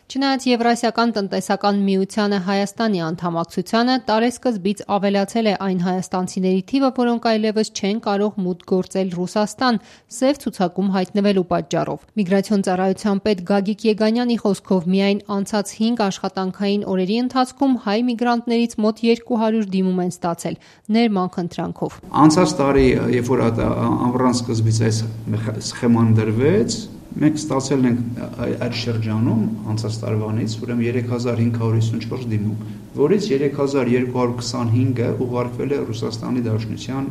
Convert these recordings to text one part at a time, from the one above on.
Չնայած Եվրասիական տնտեսական միությանը Հայաստանի անդամակցությանը, տարեսկզբից ավելացել է այն հայաստանցիների թիվը, որոնք այլևս չեն կարող մուտք գործել Ռուսաստան՝ սև ցուցակում հայտնվելու պատճառով։ Միգրացիոն ծառայության պետ Գագիկ Եգանյանի խոսքով միայն անցած 5 աշխատանքային օրերի ընթացքում հայ միգրանտներից մոտ 200 դիմում են ստացել ներման խնդրանքով։ Անցած տարի, երբ որ ամռան սկզբից այս սխեման դրվեց, մենք ստացել ենք այդ շրջանում անցած տարվանից ուրեմն 3554 դիմում, որից 3225-ը ուղարկվել է Ռուսաստանի Դաշնության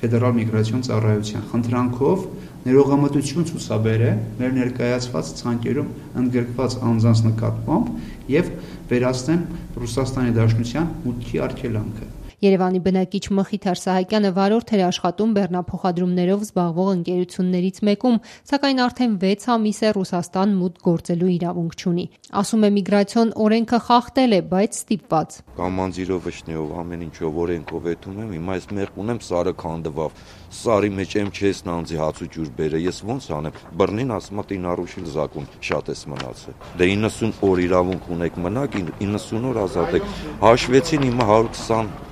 Ֆեդերալ միգրացիոն ծառայության խնդրանքով ներողամտություն ցուցաբերել մեր ներկայացված ցանկերում ընդգրկված անձանց նկատմամբ եւ վերացնեն Ռուսաստանի Դաշնության մուտքի արգելանքը։ Երևանի բնակիչ Մխիթար Սահակյանը վարորդ էր աշխատում բեռնափոխադրումներով զբաղվող ընկերություններից մեկում, սակայն արդեն 6 ամիս է Ռուսաստան մուտք գործելու իրավունք չունի։ Ասում է միգրացիոն օրենքը խախտել է, բայց ստիպված։ Կամանձիրով, վշնեով, ամեն ինչով օրենքով էթում եմ, հիմա այս մեղ ունեմ սարը քանդվավ, սարի մեջ եմ չես նանձի հաց ու ջուր բերե, ես ոնց անեմ։ Բռնին ասում է տին առուշիլ զակուն շատ էս մնացել։ Դե 90 օր իրավունք ունեք մնաք, 90 օր ազատեք։ Հաշվեցին հիմա 120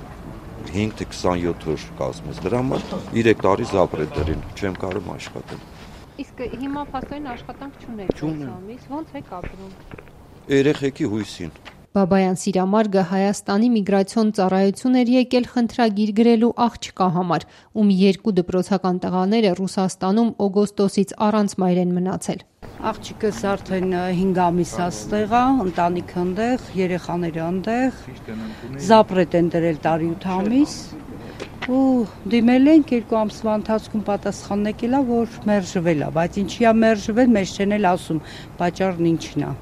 5-27 օր կազմես, դրա համար 3 տարի զապրետ դրին, չեմ կարող աշխատել։ Իսկ հիմա փաստորեն աշխատանք չունեք, ոնց եք ապրում։ Երեխեքի հույսին։ Բաբայան Սիրամարգը Հայաստանի միգրացիոն ծառայություն էր եկել խնդրագիր գրելու աղջկա համար, ում 2 դպրոցական տղաները Ռուսաստանում օգոստոսից առանց մայր են մնացել։ Աղջիկս արդեն 5 ամիս աստեղ է, ընտանիքը ընդեղ, երեխաները ընդեղ, զապրետ են դրել տարի 8 ամիս ու դիմել ենք 2 ամսվա ընթացքում պատասխանն եկել է, որ մերժվել է, բայց ինչի է մերժվել, մեզ չեն էլ ասում, պատճառն ինչն է,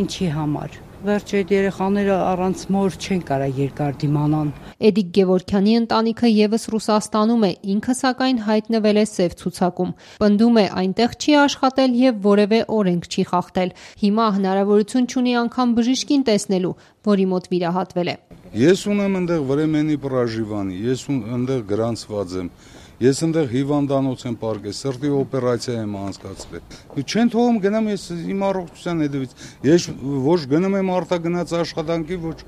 ինչի համար։ Վերջ այդ երեխաները առանց մոր չեն կարող երկար դիմանան։ Էդիկ Գևորգյանի ընտանիքը եւս Ռուսաստանում է, ինքը սակայն հայտնվել է սև ցուցակում։ Պնդում է այնտեղ չի աշխատել եւ որևէ օրենք չի խախտել։ Հիմա հնարավորություն չունի անգամ բժիշկին տեսնելու, որի մոտ վիրահատվել է։ Ես ունեմ այնտեղ վրեմենի պրաժիվանի, ես այնտեղ գրանցված եմ։ Ես այնտեղ հիվանդանոց եմ պարկել, սրտի օպերացիա եմ անցկացրել։ Չեն թողում գնամ ես իմ առողջության հետևից։ Ես ոչ գնում եմ արտագնաց աշխատանքի, ոչ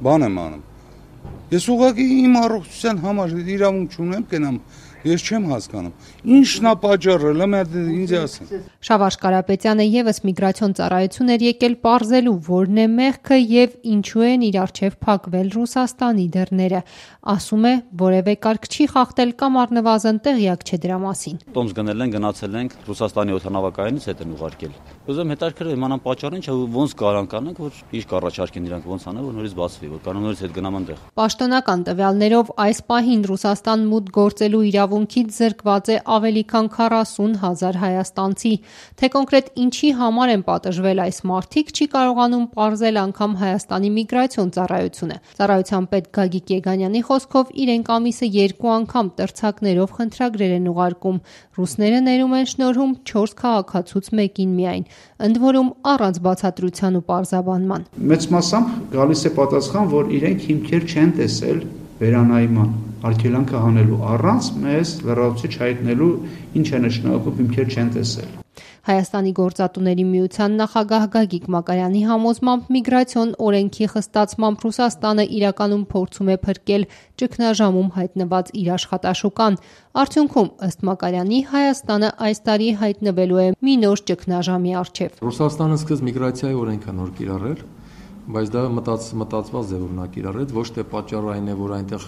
բան եմ անում։ Ես ուղղակի իմ առողջության համար իրավունք չունեմ գնամ։ Ես չեմ հասկանում։ Ինչն է պատճառը, ինձ ասեն։ Շավարժ Կարապետյանը եւս միգրացիոն ծառայություն էր եկել պարզելու, որն է մեղքը եւ ինչու են իր առջեւ փակվել Ռուսաստանի դռները։ Ասում է, որևէ կարգ չի խախտել կամ առնվազն տեղյակ չէ դրա մասին։ Տոմս գնել են, գնացել ենք Ռուսաստանի օդանավակայանից հետ են ուղարկել։ Ուզում հետաքրքրել իմանամ պատճառը ինչ է, ոնց կարան կանենք, որ ինչ կառաջարկեն իրանք ոնց անեն, որ նորից բացվի, որ կանոն նորից հետ գնամ այնտեղ։ Պաշտոնական տվյալներով այս պահին Ռուսաստան մուտք գործելու իրավունքից զրկված է ավելի քան 40,000 հայաստանցի։ Թե կոնկրետ ինչի համար են պատժվել այս մարդիկ, չի կարողանում պարզել անգամ Հայաստանի միգրացիոն ծառայությունը։ Ծառայության պետ Գագիկ Եգանյանի խոսքով իրենք ամիսը 2 անգամ տրցակներով խնդրագրեր են ուղարկում։ Ռուսները ներում են շնորհում 4 քաղաքացուց մեկին միայն, ընդ որում առանց բացատրության ու պարզաբանման։ Մեծ մասամբ գալիս է պատասխան, որ իրենք հիմքեր չեն տեսել վերանայման արգելանքը հանելու առանց մեզ լրացուցիչ հայտնելու ինչ է նշանակում հիմքեր չեն տեսել։ Հայաստանի գործատուների միության նախագահ Գագիկ Մակարյանի համոզմամբ միգրացիոն օրենքի խստացմամբ Ռուսաստանը իրականում փորձում է փրկել ճգնաժամում հայտնված իր աշխատաշուկան։ Արդյունքում, ըստ Մակարյանի, Հայաստանը այս տարի հայտնվելու է մի նոր ճգնաժամի առջև։ Ռուսաստանը սկսեց միգրացիայի օրենքը նոր կիրառել, բայց դա մտածված ձևով կիրառեց, ոչ թե պատճառը այն է, որ այնտեղ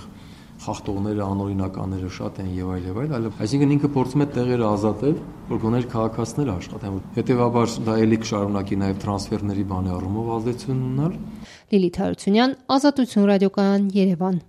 խախտողները, անօրինականները շատ են եւ այլ, այլ այսինքն ինքը փորձում է տեղերը ազատել, որ գոներ քաղաքացիները աշխատեն։ Հետևաբար դա ելի կշարունակի նաեւ տրանսֆերների բանի առումով ազդեցություն ունենալ։ Լիլիթ Հարությունյան, Ազատություն ռադիոկայան, Երևան։